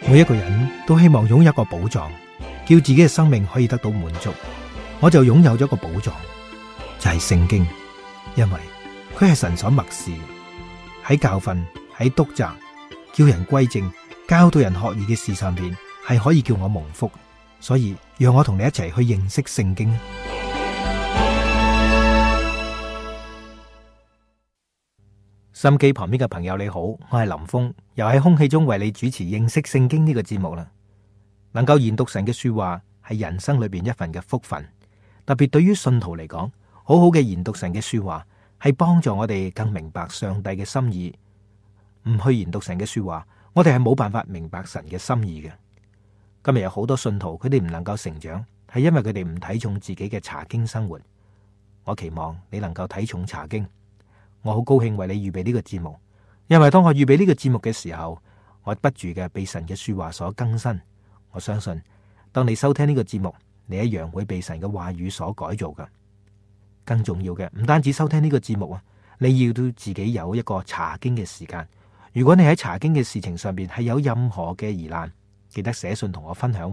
每一個人都希望擁有一個寶藏，叫自己嘅生命可以得到滿足。我就擁有咗一個寶藏，就係聖經，因為佢係神所默示，喺教訓、喺督責、叫人歸正、教導人學義嘅事上邊，係可以叫我蒙福。所以讓我同你一齊去認識聖經。心機旁邊嘅朋友你好，我係林峰，又喺空氣中為你主持認識聖經呢個節目啦。能夠研讀神嘅說話係人生裏邊一份嘅福分，特別對於信徒嚟講，好好嘅研讀神嘅說話係幫助我哋更明白上帝嘅心意。唔去研讀神嘅說話，我哋係冇辦法明白神嘅心意嘅。今日有好多信徒，佢哋唔能夠成長，係因為佢哋唔睇重自己嘅查經生活。我期望你能夠睇重查經。我好高興為你預備呢個節目，因為當我預備呢個節目嘅時候，我不住嘅被神嘅說話所更新。我相信當你收聽呢個節目，你一樣會被神嘅話語所改造噶。更重要嘅唔單止收聽呢個節目啊，你要都自己有一個查經嘅時間。如果你喺查經嘅事情上邊係有任何嘅疑難，記得寫信同我分享。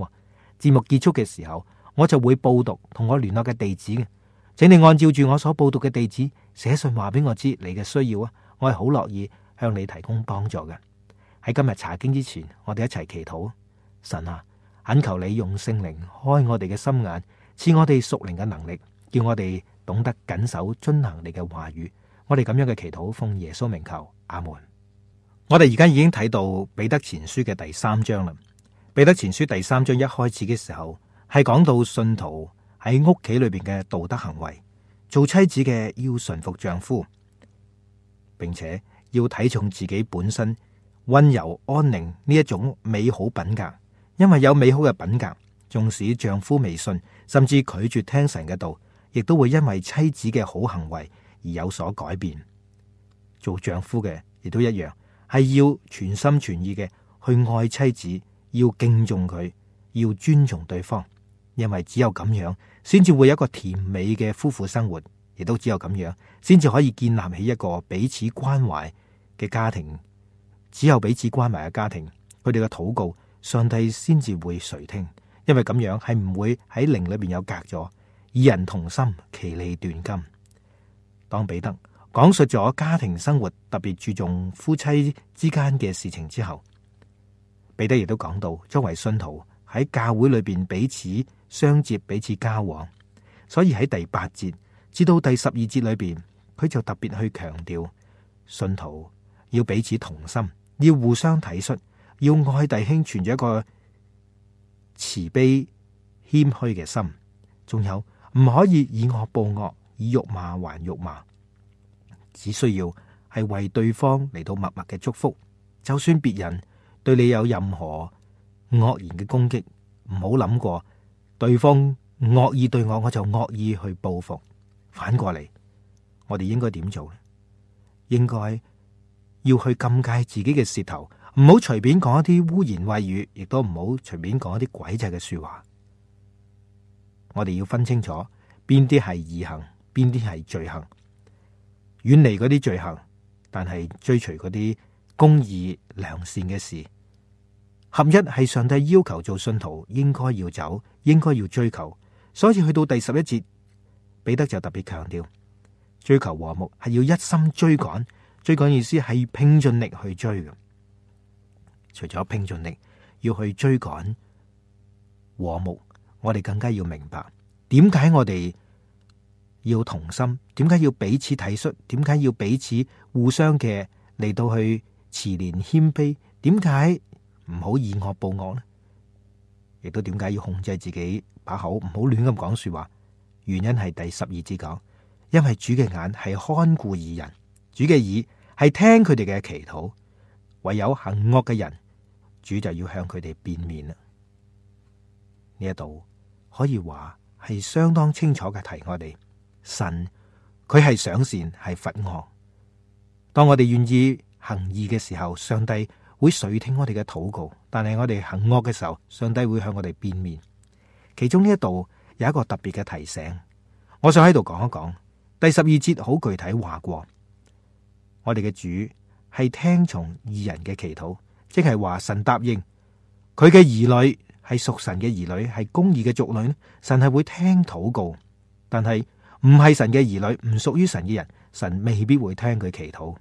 節目結束嘅時候，我就會報讀同我聯絡嘅地址嘅，請你按照住我所報讀嘅地址寫信話俾我知你嘅需要啊，我係好樂意向你提供幫助嘅。喺今日查經之前，我哋一齊祈禱。神啊，懇求你用聖靈開我哋嘅心眼，賜我哋屬靈嘅能力，叫我哋懂得謹守遵行你嘅話語。我哋咁樣嘅祈禱奉耶穌名求，阿門。我哋而家已經睇到彼得前書嘅第3章啦。彼得前書第3章一開始嘅時候係講到信徒喺屋企裏邊嘅道德行為，做妻子嘅要順服丈夫，並且要睇重自己本身溫柔安寧呢一種美好品格。因為有美好嘅品格，縱使丈夫未信，甚至拒絕聽神嘅道，亦都會因為妻子嘅好行為而有所改變。做丈夫嘅亦都一樣，係要全心全意嘅去愛妻子，要敬重佢，要尊重對方。因為只有咁樣，先至會有一個甜美嘅夫婦生活，亦都只有咁樣，先至可以建立起一個彼此關懷嘅家庭。只有彼此關懷嘅家庭，佢哋嘅禱告，上帝先至會垂聽。因為咁樣係唔會喺靈裏邊有隔咗，二人同心，其利斷金。當彼得講述咗家庭生活特別注重夫妻之間嘅事情之後，彼得亦都講到作為信徒喺教會裏邊彼此相接，彼此交往。所以喺第8節至到第12節裏邊，佢就特別去強調信徒要彼此同心，要互相體恤，要愛弟兄，存住一個慈悲謙虛嘅心。仲有唔可以以惡報惡，以辱罵還辱罵，只需要係為對方嚟到默默嘅祝福。就算別人對你有任何惡言嘅攻擊，唔好諗過對方惡意對我，我就惡意去報復。反過嚟，我哋應該點做呢？應該要去禁戒自己嘅舌頭，唔好隨便講一啲污言穢語，亦都唔好隨便講一啲詭詐嘅說話。我哋要分清楚邊啲係義行，邊啲係罪行，遠離嗰啲罪行，但係追隨嗰啲公義良善嘅事。合一係上帝要求做信徒應該要走，應該要追求。所以去到第11節，彼得就特別強調，追求和睦係要一心追趕。追趕意思係拼盡力去追嘅。除咗拼盡力要去追趕和睦，我哋更加要明白點解我哋要同心，點解要彼此體恤，點解要彼此互相嘅嚟到去慈憐謙卑，點解唔好以惡報惡呢？亦都點解要控制自己把口，唔好亂咁講說話？原因係第12節講，因為主嘅眼係看顧義人，主嘅耳係聽佢哋嘅祈禱，唯有行惡嘅人，主就要向佢哋變面啦。呢一度可以話係相當清楚嘅提我哋，神佢係賞善係罰惡。當我哋願意行義嘅時候，上帝會垂聽我哋嘅禱告，但係我哋行惡嘅時候，上帝會向我哋變面。其中呢一度有一個特別嘅提醒，我想喺度講一講。第12節好具體話過，我哋嘅主係聽從義人嘅祈禱，即係話神答應佢嘅兒女係屬神嘅兒女，係公義嘅族類，神係會聽禱告。但係唔係神嘅兒女，唔屬於神嘅人，神未必會聽佢祈禱。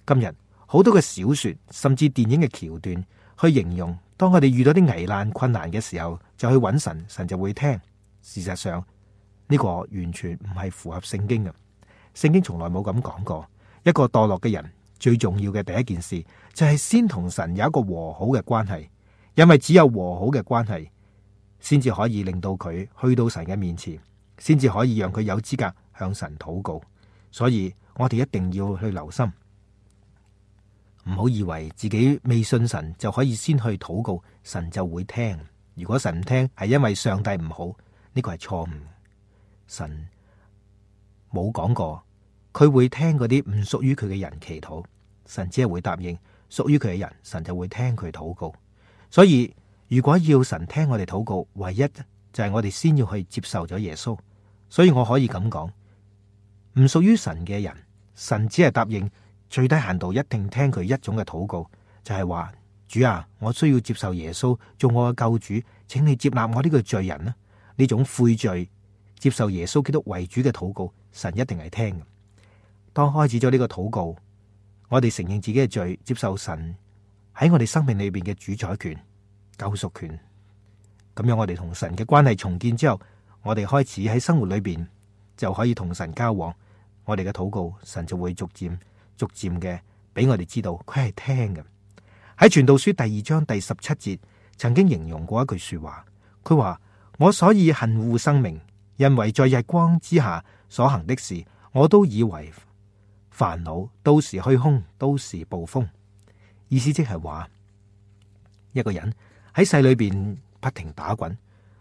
今日好多嘅小說甚至電影嘅橋段去形容，當我哋遇到啲危難困難嘅時候，就去揾神，神就會聽。事實上呢個完全唔係符合聖經嘅。聖經從來冇咁講過。一個墮落嘅人最重要嘅第一件事就係先同神有一個和好嘅關係，因為只有和好嘅關係先至可以令到佢去到神嘅面前，先至可以讓佢有資格向神禱告。所以我哋一定要去留心，唔好以為自己未信神就可以先去禱告，神就會聽。如果神唔聽，係因為上帝唔好，呢個係錯誤。神冇講過佢會聽嗰啲唔屬於佢嘅人祈禱，神只係會答應屬於佢嘅人，神就會聽佢禱告。所以如果要神聽我哋禱告，唯一就係我哋先要去接受咗耶穌。所以我可以咁講，唔屬於神嘅人，神只係答應最低限度一定聽佢一種嘅禱告，就係話，主啊，我需要接受耶穌做我嘅救主，請你接納我呢個罪人啦。呢種悔罪接受耶穌基督為主嘅禱告，神一定係聽嘅。當開始咗呢個禱告，我哋承認自己嘅罪，接受神喺我哋生命裏邊嘅主宰權、救贖權，咁樣我哋同神嘅關係重建之後，我哋開始喺生活裏邊就可以同神交往。我哋嘅禱告，神就會逐漸嘅俾我哋知道佢係聽嘅。喺傳道書第2章第17節曾經形容過一句說話，佢話，我所以恨惡生命，因為在日光之下所行的事，我都以為煩惱，都是虛空，都是暴風。意思即係話，一個人喺世裏邊不停打滾，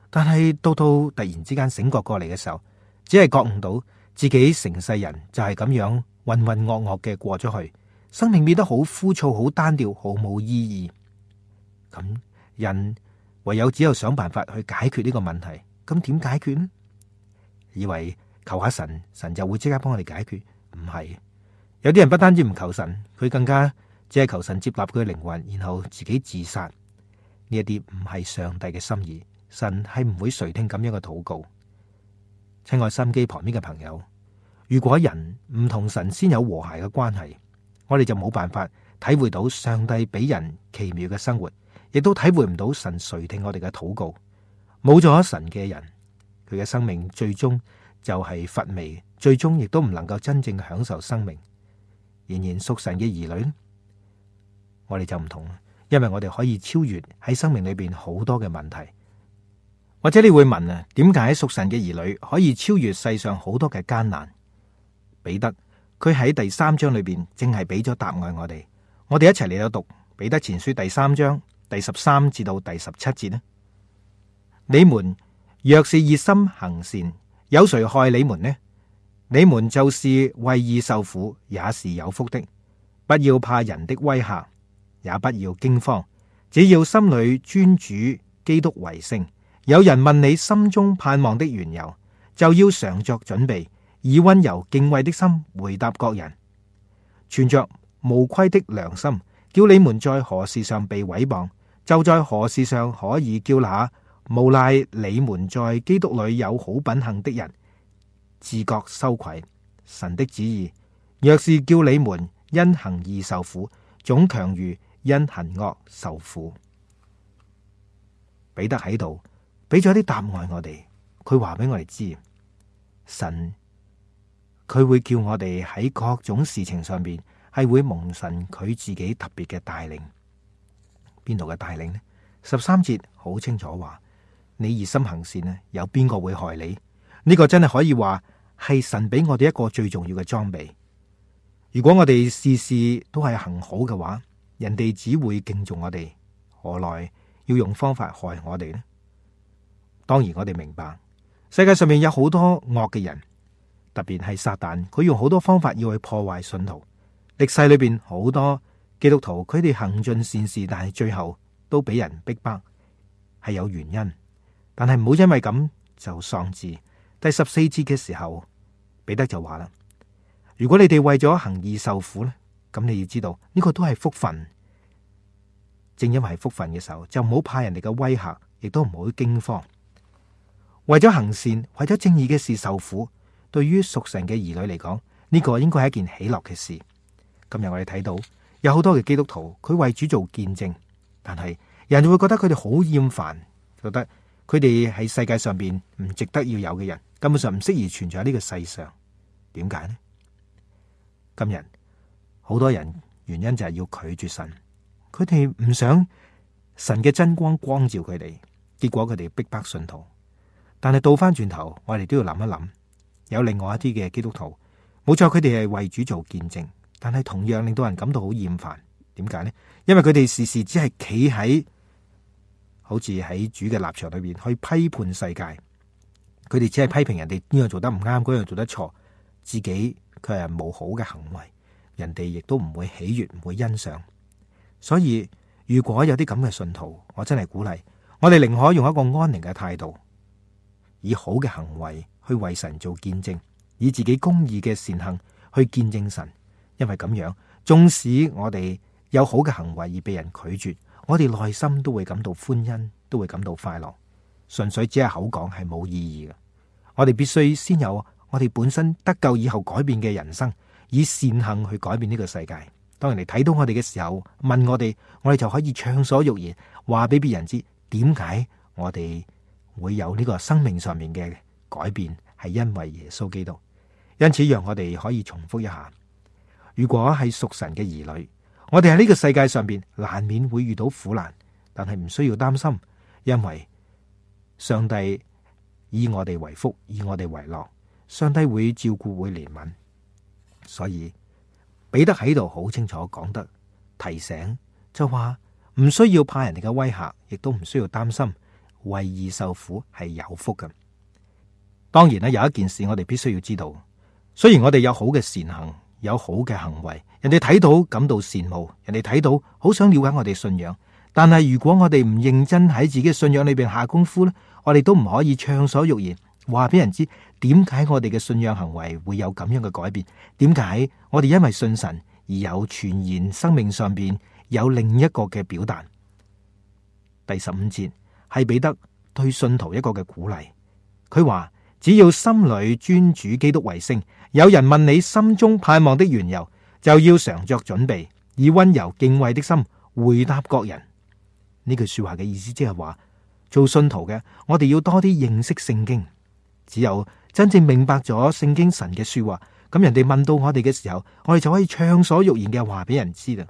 但係到突然之間醒覺過嚟嘅時候，只係覺悟到自己成世人就係咁樣渾渾噩噩嘅過咗去，生命變得好枯燥、好單調、毫無意義。咁人唯有只有想辦法去解決呢個問題。咁點解決呢？以為求下神，神就會即刻幫我哋解決？唔係。有啲人不單止唔求神，佢更加只係求神接納佢嘅靈魂，然後自己自殺。呢一啲唔係上帝嘅心意，神係唔會垂聽咁樣嘅禱告。親愛收音機旁邊嘅朋友，如果人唔同神先有和諧嘅關係，我哋就冇辦法體會到上帝俾人奇妙嘅生活，亦都體會唔到神垂聽我哋嘅禱告。冇咗神嘅人，佢嘅生命最終就係乏味，最終亦都唔能夠真正享受生命。仍然屬神嘅兒女，我哋就唔同，因為我哋可以超越喺生命裏邊好多嘅問題。或者你會問啊，點解屬神嘅兒女可以超越世上好多嘅艱難？彼得佢喺第3章裏邊正係俾咗答案我哋。我哋一齊嚟到讀彼得前書第3章第13至到第17節呢。你們若是熱心行善，有誰害你們呢？你們就是為義受苦，也是有福的。不要怕人的威嚇，也不要驚慌，只要心裏尊主基督為聖。有人問你心中盼望的緣由，就要常作準備，以溫柔敬畏的心回答各人，存着無虧的良心，叫你們在何事上被毀謗，就在何事上可以叫那無賴你們在基督裏有好品行的人自覺羞愧。神的旨意若是叫你們因行義受苦，總強如因行惡受苦。彼得喺度俾咗啲答案我哋，佢話俾我哋知，神佢會叫我哋喺各種事情上邊係會蒙神佢自己特別嘅帶領。邊度嘅帶領呢？13節好清楚話，你熱心行善呢，有邊個會害你？呢個真係可以話係神俾我哋一個最重要嘅裝備。如果我哋事事都係行好嘅話，人哋只會敬重我哋，何來要用方法害我哋呢？當然我哋明白，世界上面有好多惡嘅人，特別係撒旦，佢用好多方法要去破壞信徒。歷世裏邊好多基督徒，佢哋行盡善事，但係最後都俾人逼迫，係有原因。但係唔好因為咁就喪志。第14節嘅時候，彼得就話啦：如果你哋為咗行義受苦咧，咁你要知道呢個都係福分。正因為係福分嘅時候，就唔好怕人哋嘅威嚇，亦都唔好驚慌。為咗行善，為咗正義嘅事受苦，對於屬神嘅兒女嚟講，呢個應該係一件喜樂嘅事。今日我哋睇到有好多嘅基督徒，佢為主做見證，但係人就會覺得佢哋好厭煩，覺得佢哋喺世界上邊唔值得要有嘅人，根本上唔適宜存在喺呢個世上。點解呢？今日好多人原因就係要拒絕神，佢哋唔想神嘅真光光照佢哋，結果佢哋逼迫信徒。但係倒翻轉頭，我哋都要諗一諗，有另外一啲嘅基督徒，冇錯，佢哋係為主做見證，但係同樣令到人感到好厭煩。點解呢？因為佢哋時時只係企喺好似喺主嘅立場裏邊去批判世界，佢哋只係批評人哋呢樣做得唔啱，嗰樣做得錯，自己佢係冇好嘅行為，人哋亦都唔會喜悅，唔會欣賞。所以如果有啲咁嘅信徒，我真係鼓勵我哋寧可用一個安寧嘅態度，以好嘅行為去為神做見證，以自己公義嘅善行去見證神。因為咁樣，縱使我哋有好嘅行為而被人拒絕，我哋內心都會感到歡欣，都會感到快樂。純粹只係口講係冇意義嘅。我哋必須先有我哋本身得救以後改變嘅人生，以善行去改變呢個世界。當人哋睇到我哋嘅時候，問我哋就可以暢所欲言，話俾別人知點解我哋會有呢個生命上面嘅改變，係因為耶穌基督。因此，讓我哋可以重複一下：如果係屬神嘅兒女，我哋喺呢個世界上邊難免會遇到苦難，但係唔需要擔心，因為上帝以我哋為福，以我哋為樂，上帝會照顧，會憐憫。所以彼得喺度好清楚講得提醒，就話唔需要怕人哋嘅威嚇，亦都唔需要擔心為義受苦係有福嘅。當然啦，有一件事我哋必須要知道，雖然我哋有好嘅善行，有好嘅行為，人哋睇到感到羨慕，人哋睇到好想了解我哋信仰，但係如果我哋唔認真喺自己嘅信仰裏邊下功夫咧，我哋都唔可以暢所欲言，話俾人知點解我哋嘅信仰行為會有咁樣嘅改變，點解我哋因為信神而有全然生命上邊有另一個嘅表達。第15節係彼得對信徒一個嘅鼓勵，佢話只要心裏尊主基督為聖，有人問你心中盼望的緣由，就要常作準備，以溫柔敬畏的心回答各人。呢句說話嘅意思即係話，做信徒嘅我哋要多啲認識聖經，只有真正明白咗聖經神嘅說話，咁人哋問到我哋嘅時候，我哋就可以暢所欲言嘅話俾人知啦。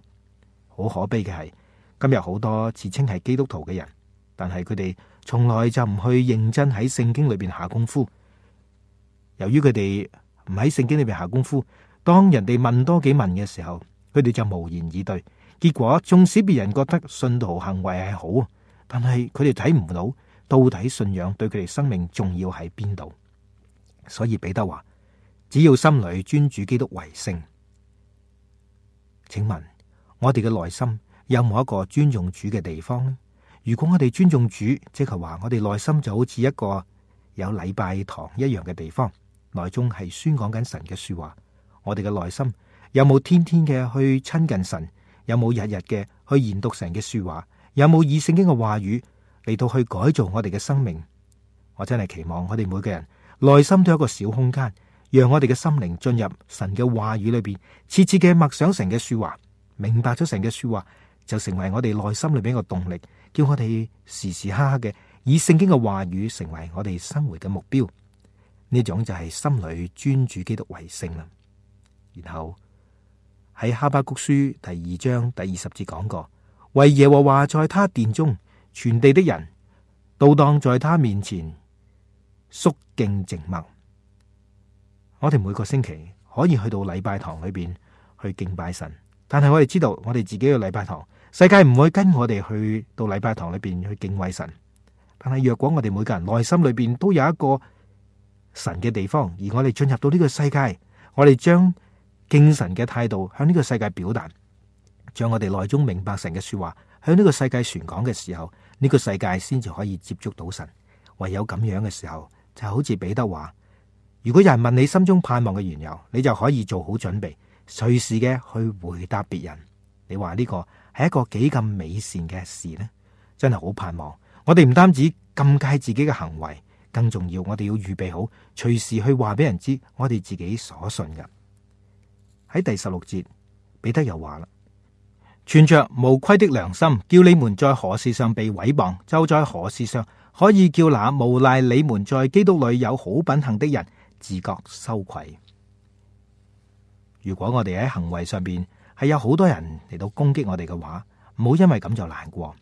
好可悲嘅係，今日好多自稱係基督徒嘅人，但係佢哋從來就唔去認真喺聖經裏邊下功夫。由於佢哋唔喺聖經裏邊下功夫，當人哋問多幾問嘅時候，佢哋就無言以對。結果縱使別人覺得信徒行為係好，但係佢哋睇唔到底信仰對佢哋生命重要喺邊度。所以彼得話，只要心裏尊主基督為聖。請問我哋嘅內心有冇一個尊重主嘅地方呢？如果我哋尊重主，即係話我哋內心就好似一個有禮拜堂一樣嘅地方，內中係宣講緊神嘅說話。我哋嘅內心有冇天天嘅去親近神？有冇日日嘅去研讀神嘅說話？有冇以聖經嘅話語嚟到去改造我哋嘅生命？我真係期望我哋每個人內心都有一個小空間，讓我哋嘅心靈進入神嘅話語裏邊，切切嘅默想神嘅說話，明白咗神嘅說話，就成為我哋內心裏邊一個動力，叫我哋時時刻刻嘅以聖經嘅話語成為我哋生活嘅目標。呢種就係心裏尊主基督為聖啦。然後喺哈巴谷書第2章第20節講過，為耶和華在他殿中，全地的人都當在他面前肅敬靜默。我哋每個星期可以去到禮拜堂裏邊去敬拜神，但係我哋知道我哋自己嘅禮拜堂，世界唔會跟我哋去到禮拜堂裏邊去敬畏神。但係若果我哋每個人內心裏邊都有一個神嘅地方，而我哋進入到呢個世界，我哋將敬神嘅態度向呢個世界表達，將我哋內中明白神嘅說話向呢個世界傳講嘅時候，呢個世界先至可以接觸到神。唯有咁樣嘅時候，就好似彼得話，如果有人問你心中盼望嘅緣由，你就可以做好準備，隨時嘅去回答別人。你話呢個係一個幾咁美善嘅事呢？真係好盼望我哋唔單止禁戒自己嘅行為，更重要，我哋要預備好隨時去話俾人知我哋自己所信嘅。喺第16節，彼得又話啦：存着無虧的良心，叫你們在何事上被毀謗，就在何事上可以叫那誣賴你們在基督裏有好品行的人自覺羞愧。如果我哋喺行為上邊係有好多人嚟到攻擊我哋嘅話，唔好因為咁就難過。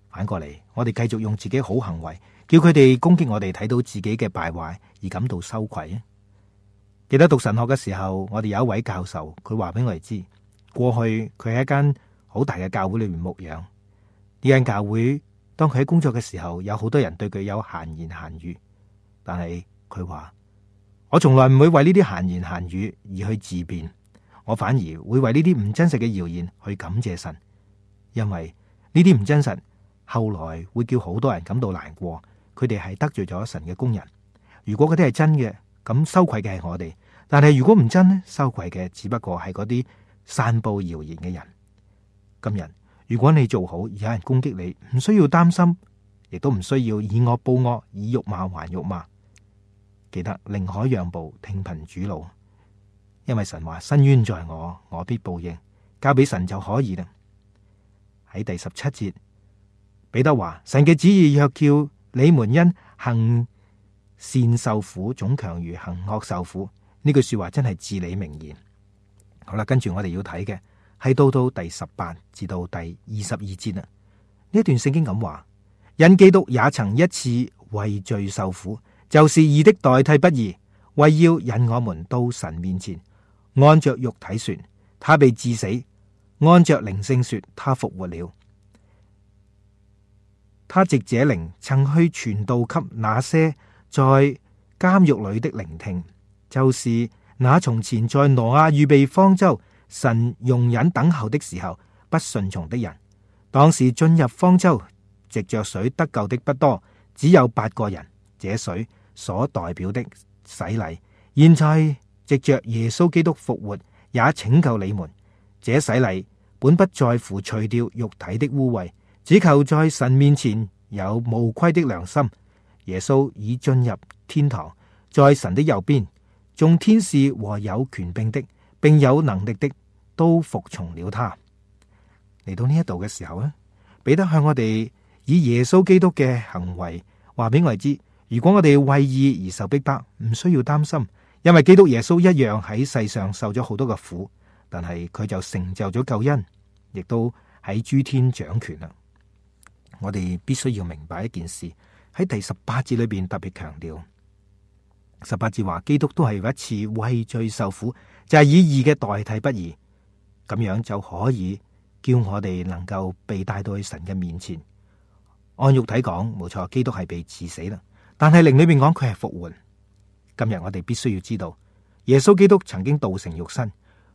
反過嚟，我哋繼續用自己好行為，叫佢哋攻擊我哋，睇到自己嘅敗壞而感到羞愧。記得讀神學嘅時候，我哋有一位教授，佢話俾我哋知，過去佢喺一間好大嘅教會裏面牧養。呢間教會當佢喺工作嘅時候，有好多人對佢有閒言閒語，但係佢話：我從來唔會為呢啲閒言閒語而去自辯，我反而會為呢啲唔真實嘅謠言去感謝神，因為呢啲唔真實後來會叫好多人感到難過，佢哋係得罪咗神嘅工人。如果嗰啲係真嘅，咁羞愧嘅係我哋；但係如果唔真呢，羞愧嘅只不過係嗰啲散布謠言嘅人。今日如果你做好，有人攻擊你，唔需要擔心，亦都唔需要以惡報惡，以辱罵還辱罵。記得寧可讓步，聽憑主怒，因為神話伸冤在我，我必報應，交俾神就可以啦。喺第17節，彼得話：神嘅旨意若叫你們因行善受苦，總強如行惡受苦。呢句說話真係至理名言。好啦，跟住我哋要睇嘅係到第18至到第22節啦。呢段聖經咁話：因基督也曾一次為罪受苦，就是義的代替不義，為要引我們到神面前。按着肉體說，他被治死；按着靈性說，他復活了。他藉這靈曾去傳道給那些在監獄裏的聆聽，就是那從前在挪亞預備方舟，神容忍等候的時候不順從的人。當時進入方舟藉着水得救的不多，只有8個人。這水所代表的洗禮，現在藉着耶穌基督復活，也拯救你們。這洗禮本不在乎除掉肉體的污穢，只求在神面前有無虧的良心。耶穌已進入天堂，在神的右邊，眾天使和有權柄的並有能力的都服從了他。嚟到呢一度嘅時候呢，彼得向我哋以耶穌基督嘅行為話俾我哋知，如果我哋為義而受逼迫，唔需要擔心，因為基督耶穌一樣喺世上受咗好多嘅苦，但係佢就成就咗救恩，亦都喺諸天掌權啦。我哋必須要明白一件事，喺第18節裏邊特別強調，18節話基督都係一次為罪受苦，就係以義嘅代替不義，咁樣就可以叫我哋能夠被帶到去神嘅面前。按肉體講，冇錯，基督係被治死啦，但係靈裏邊講佢係復活。今日我哋必須要知道，耶穌基督曾經道成肉身，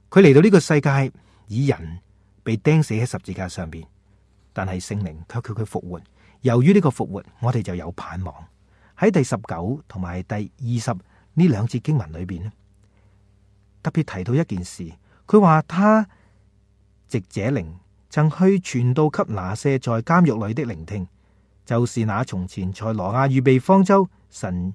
佢嚟到呢個世界以人被釘死喺十字架上邊，但係聖靈卻叫佢復活。由於呢個復活，我哋就有盼望。喺第19同埋第20呢兩節經文裏邊咧，特別提到一件事，佢話他藉這靈曾去傳道給那些在監獄裏的聆聽，就是那從前在挪亞預備方舟，神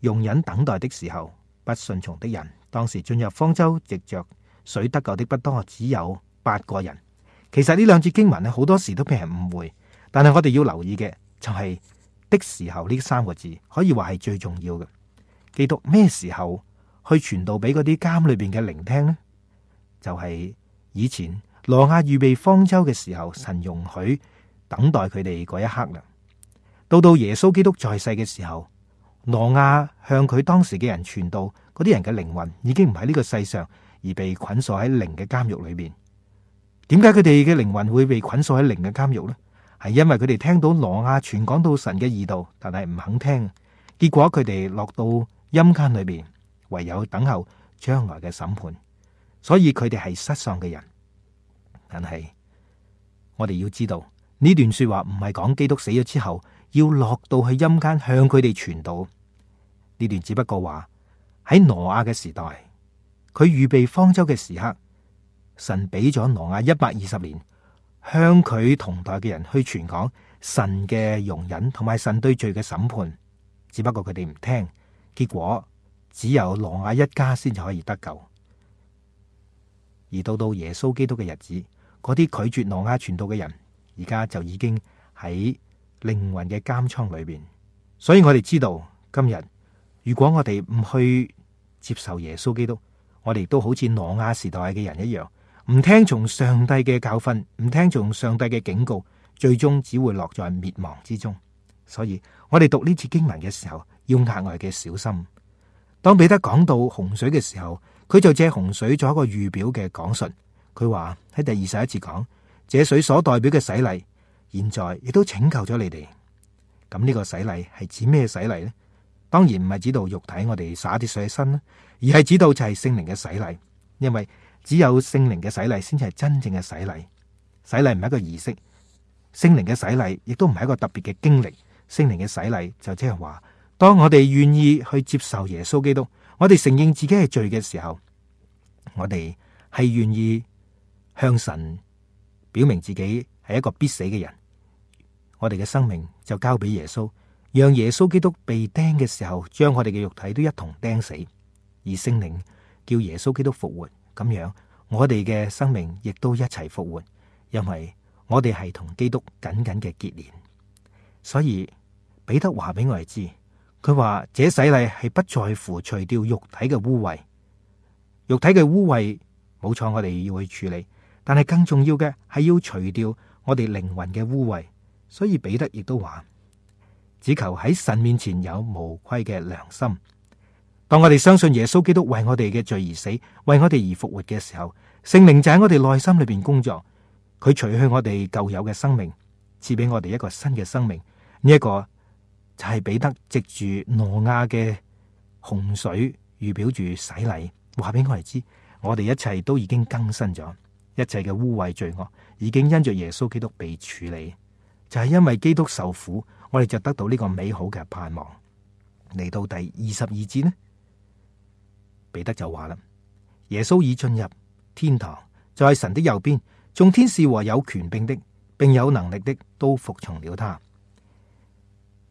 容忍等待的時候不順從的人。當時進入方舟藉着水得救的不多，只有8個人。其實呢兩節經文咧，好多時都被人誤會，但係我哋要留意嘅就係的時候呢3個字，可以話係最重要嘅。基督咩時候去傳道俾嗰啲監裏邊嘅聆聽呢？就係以前挪亞預備方舟嘅時候，神容許等待佢哋嗰一刻啦。到耶穌基督在世嘅時候，挪亞向佢當時嘅人傳道，嗰啲人嘅靈魂已經唔喺呢個世上，而被捆鎖喺靈嘅監獄裏邊。點解佢哋嘅靈魂會被捆鎖喺靈嘅監獄呢？係因為佢哋聽到挪亞傳講到神嘅義道，但係唔肯聽，結果佢哋落到陰間裏邊，唯有等候將來嘅審判。所以佢哋係失喪嘅人。但係我哋要知道呢段說話唔係講基督死咗之後要落到去陰間向佢哋傳道。呢段只不過話喺挪亞嘅時代，佢預備方舟嘅時刻，神俾咗挪亞120年，向佢同代嘅人去傳講神嘅容忍同埋神對罪嘅審判，只不過佢哋唔聽，結果只有挪亞一家先至可以得救。而到耶穌基督嘅日子，嗰啲拒絕挪亞傳道嘅人，而家就已經喺靈魂嘅監倉裏邊。所以我哋知道今日，如果我哋唔去接受耶穌基督，我哋都好似挪亞時代嘅人一樣，唔聽從上帝嘅教訓，唔聽從上帝嘅警告，最終只會落在滅亡之中。所以我哋讀呢次經文嘅時候，要額外嘅小心。當彼得講到洪水嘅時候，佢就借洪水做一個預表嘅講述。佢話喺第21節講，這水所代表嘅洗禮，現在亦都拯救咗你哋。咁呢個洗禮係指咩洗禮呢？當然唔係指到肉體我哋灑啲水喺身啦，而係指到就係聖靈嘅洗禮。因為只有聖靈嘅洗禮先至係真正嘅洗禮。洗禮唔係一個儀式，聖靈嘅洗禮亦都唔係一個特別嘅經歷。聖靈嘅洗禮就即係話，當我哋願意去接受耶穌基督，我哋承認自己係罪嘅時候，我哋係願意向神表明自己係一個必死嘅人，我哋嘅生命就交俾耶穌，讓耶穌基督被釘嘅時候，將我哋嘅肉體都一同釘死，而聖靈叫耶穌基督復活，咁樣我哋嘅生命亦都一齊復活，因為我哋係同基督緊緊嘅結連。所以彼得話俾我哋知，佢話這洗禮係不在乎除掉肉體嘅污穢，肉體嘅污穢冇錯，我哋要去處理，但係更重要嘅係要除掉我哋靈魂嘅污穢。所以彼得亦都話，只求喺神面前有無愧嘅良心。當我哋相信耶穌基督為我哋嘅罪而死，為我哋而復活嘅時候，聖靈就喺我哋內心裏邊工作，佢除去我哋舊有嘅生命，賜俾我哋一個新嘅生命。呢一個就係彼得藉住挪亞嘅洪水預表住洗禮，話俾我哋知，我哋一切都已經更新咗，一切嘅污穢罪惡已經因着耶穌基督被處理。就係因為基督受苦，我哋就得到呢個美好嘅盼望。嚟到第22節呢，彼得就話啦，耶穌已進入天堂，在神的右邊，眾天使和有權柄的並有能力的都服從了他。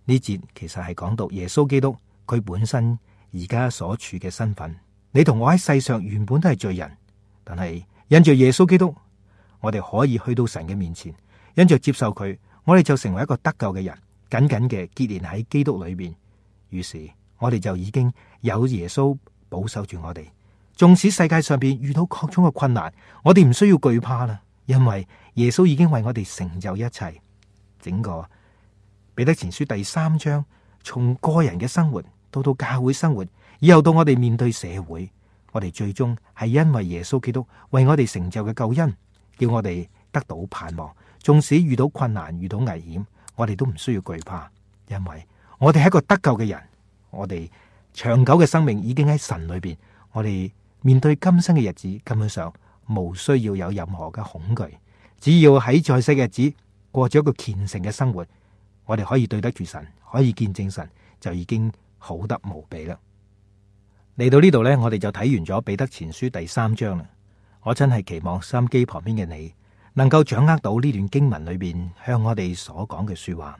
呢節其實係講到耶穌基督佢本身而家所處嘅身份。你同我喺世上原本都係罪人，但係因着耶穌基督，我哋可以去到神嘅面前，因着接受佢，我哋就成為一個得救嘅人，緊緊嘅結連喺基督裏邊。於是我哋就已經有耶穌保守住我哋。縱使世界上邊遇到各種嘅困難，我哋唔需要懼怕啦，因為耶穌已經為我哋成就一切。整個彼得前書第3章，從個人嘅生活到教會生活，以後到我哋面對社會，我哋最終係因為耶穌基督為我哋成就嘅救恩，叫我哋得到盼望。縱使遇到困難、遇到危險，我哋都唔需要懼怕，因為我哋係一個得救嘅人，我哋長久嘅生命已經喺神裏邊，我哋面對今生嘅日子，根本上無需要有任何嘅恐懼，只要喺在世嘅日子過咗一個虔誠嘅生活，我哋可以對得住神，可以見證神，就已經好得無比啦。嚟到呢度呢，我哋就睇完咗彼得前書第3章啦。我真係期望收音機旁邊嘅你能夠掌握到呢段經文裏邊向我哋所講嘅說話。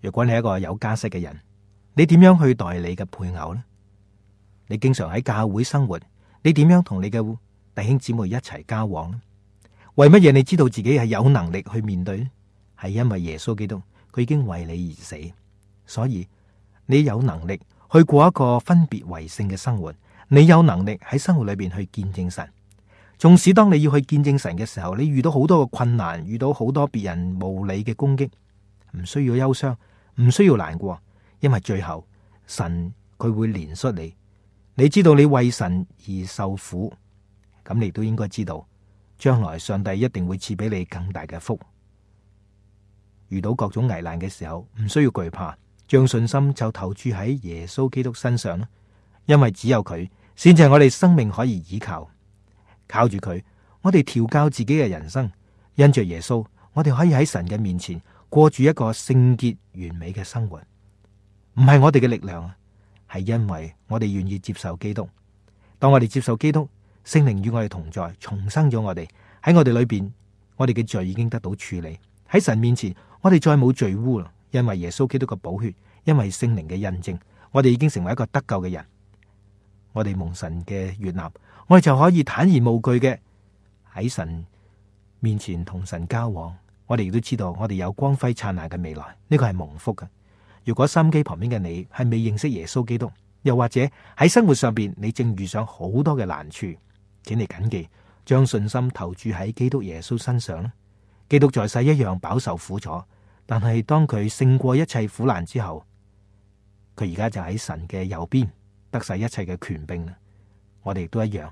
如果你係一個有家室嘅人，你點樣去待你嘅配偶呢？你經常喺教會生活，你點樣同你嘅弟兄姊妹一齊交往呢？為乜嘢你知道自己係有能力去面對呢？係因為耶穌基督佢已經為你而死，所以你有能力去過一個分別為聖嘅生活，你有能力喺生活裏邊去見證神。縱使當你要去見證神嘅時候，你遇到好多嘅困難，遇到好多別人無理嘅攻擊，唔需要憂傷，唔需要難過，因為最後神佢會憐恤你。你知道你為神而受苦，咁你都應該知道，將來上帝一定會賜俾你更大嘅福。遇到各種危難嘅時候，唔需要懼怕，將信心就投注喺耶穌基督身上啦。因為只有佢先至係我哋生命可以依靠，靠住佢，我哋調教自己嘅人生。因着耶穌，我哋可以喺神嘅面前過住一個聖潔完美嘅生活。唔係我哋嘅力量，係因為我哋願意接受基督。當我哋接受基督，聖靈與我哋同在，重生咗我哋。喺我哋裏邊，我哋嘅罪已經得到處理。喺神面前，我哋再冇罪污啦，因為耶穌基督嘅寶血，因為聖靈嘅印證，我哋已經成為一個得救嘅人。我哋蒙神嘅悅納，我哋就可以坦然無懼嘅喺神面前同神交往。我哋亦都知道，我哋有光輝燦爛嘅未來，呢個係蒙福嘅。如果收音機旁邊嘅你係未認識耶穌基督，又或者喺生活上邊你正遇上好多嘅難處，請你謹記，將信心投注喺基督耶穌身上啦。基督在世一樣飽受苦楚，但係當佢勝過一切苦難之後，佢而家就喺神嘅右邊，得晒一切嘅權柄啦。我哋亦都一樣，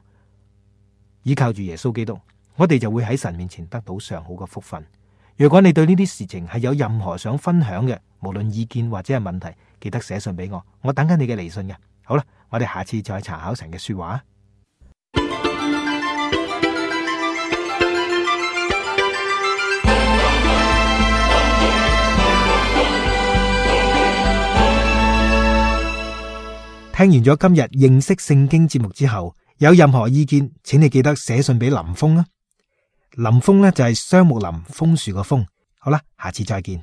依靠住耶穌基督，我哋就會喺神面前得到上好嘅福分。如果你對呢啲事情係有任何想分享嘅，無論意見或者係問題，記得寫信俾我，我等緊你嘅嚟信嘅。好啦，我哋下次再查考神嘅說話。聽完咗今日認識聖經節目之後，有任何意見，請你記得寫信俾林峰啦。林峰呢就係雙木林楓樹個楓。好啦，下次再見。